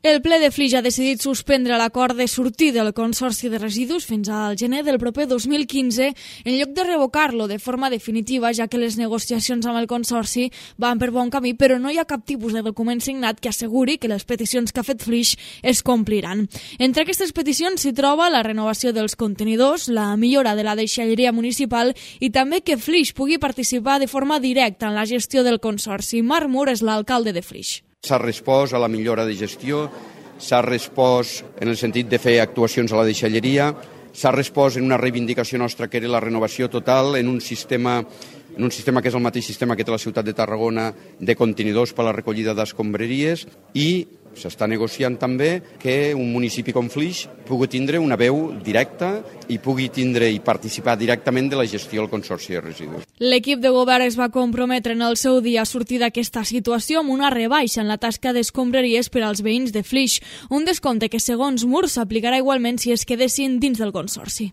El ple de Flix ha decidit suspendre l'acord de sortir del Consorci de Residus fins al gener del proper 2015 en lloc de revocar-lo de forma definitiva, ja que les negociacions amb el Consorci van per bon camí, però no hi ha cap tipus de document signat que asseguri que les peticions que ha fet Flix es compliran. Entre aquestes peticions s'hi troba la renovació dels contenidors, la millora de la deixalleria municipal i també que Flix pugui participar de forma directa en la gestió del Consorci. Marc Mur és l'alcalde de Flix. S'ha respost a la millora de gestió, s'ha respost en el sentit de fer actuacions a la deixalleria, s'ha respost en una reivindicació nostra que era la renovació total en un sistema que és el mateix sistema que té la ciutat de Tarragona de contenidors per a la recollida d'escombraries, i s'està negociant també que un municipi com Flix pugui tindre una veu directa i pugui tindre i participar directament de la gestió del Consorci de Residus. L'equip de govern es va comprometre en el seu dia a sortir d'aquesta situació amb una rebaixa en la tasca d'escombraries per als veïns de Flix, un descompte que segons Mur s'aplicarà igualment si es quedessin dins del Consorci.